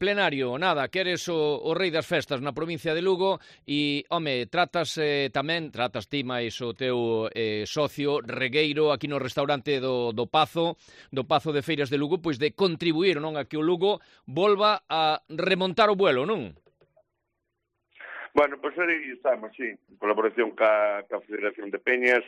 Plenario, nada, que eres o rei das festas na provincia de Lugo e, home, tratas ti máis o teu socio Regueiro aquí no restaurante do Pazo de Feiras de Lugo, pois de contribuir, non, a que o Lugo volva a remontar o vuelo, non? Bueno, pois aí estamos, sí, en colaboración ca Federación de Peñas,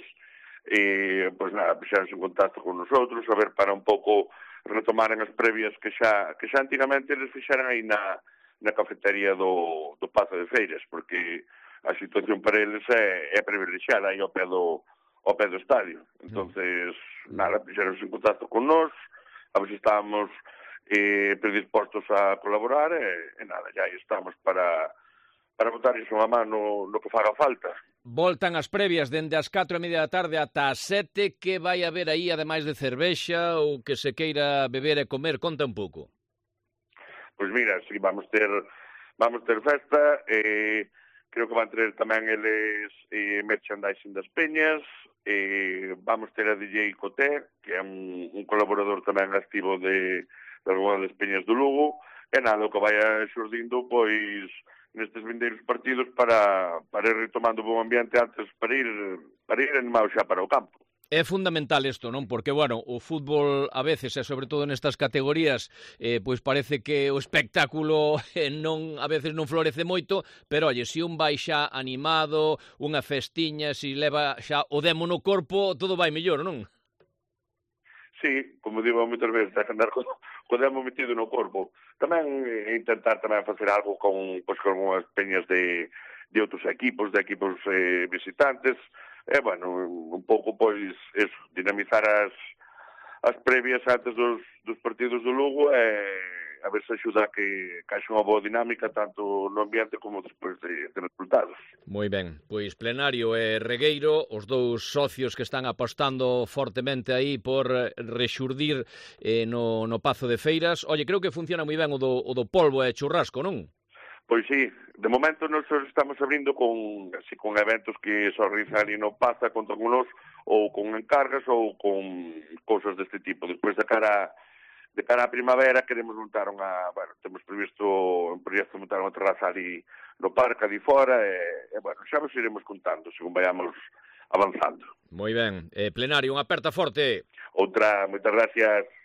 e, pois nada, puxeronse en contacto con nosotros, a ver para un pouco retomaren as previas que xa antigamente eles fixeran aí na cafetería do Pazo de Feiras, porque a situación para eles é privilexiada aí ao pé do estadio. Entonces, nada, puxeronse en contacto con nós, a ver se estábamos predispostos a colaborar, e nada, ya aí estamos para botar iso a mano no que faga falta. Voltan as previas dende as 4:30 da tarde ata as 7, que vai haber aí, ademais de cervexa, ou que se queira beber e comer? Conta un pouco. Pois mira, sí, vamos ter festa, creo que van ter tamén eles merchandising das peñas, vamos ter a DJ Coté, que é un colaborador tamén activo de algunas das peñas do Lugo, e nada, o que vai xurdindo, pois, nestes vindeiros partidos para ir retomando o bom ambiente antes, para ir animado xa para o campo. É fundamental isto, non? Porque, bueno, o fútbol a veces, e sobre todo nestas categorías, pois parece que o espectáculo a veces non florece moito, pero, oye, se un vai xa animado, unha festiña, se leva xa o demo no corpo, todo vai mellor, non? Sí, como digo moitas veces, hai que andar co demo metido no corpo. Tamén intentar tamén facer algo con unhas peñas de outros equipos, visitantes, e, bueno, un pouco, pois, eso, dinamizar as previas antes dos partidos do Lugo, e a ver se axuda a que haxa unha boa dinámica tanto no ambiente como despois de resultados. Moi ben, pois Plenario e Regueiro, os dous socios que están apostando fortemente aí por rexurdir no Pazo de Feiras. Oye, creo que funciona moi ben o do polvo e churrasco, non? Pois sí, de momento nós estamos abrindo con eventos que se organizan ali no Pazo, contan con nos, ou con encargas ou con cousas deste tipo. Despois de cara á primavera queremos montar temos previsto un proxecto montar unha terraza ali no parque, ali fora, e bueno, xa vos iremos contando según vayamos avanzando. Moi ben. Plenario, unha aperta forte. Outra, moitas gracias.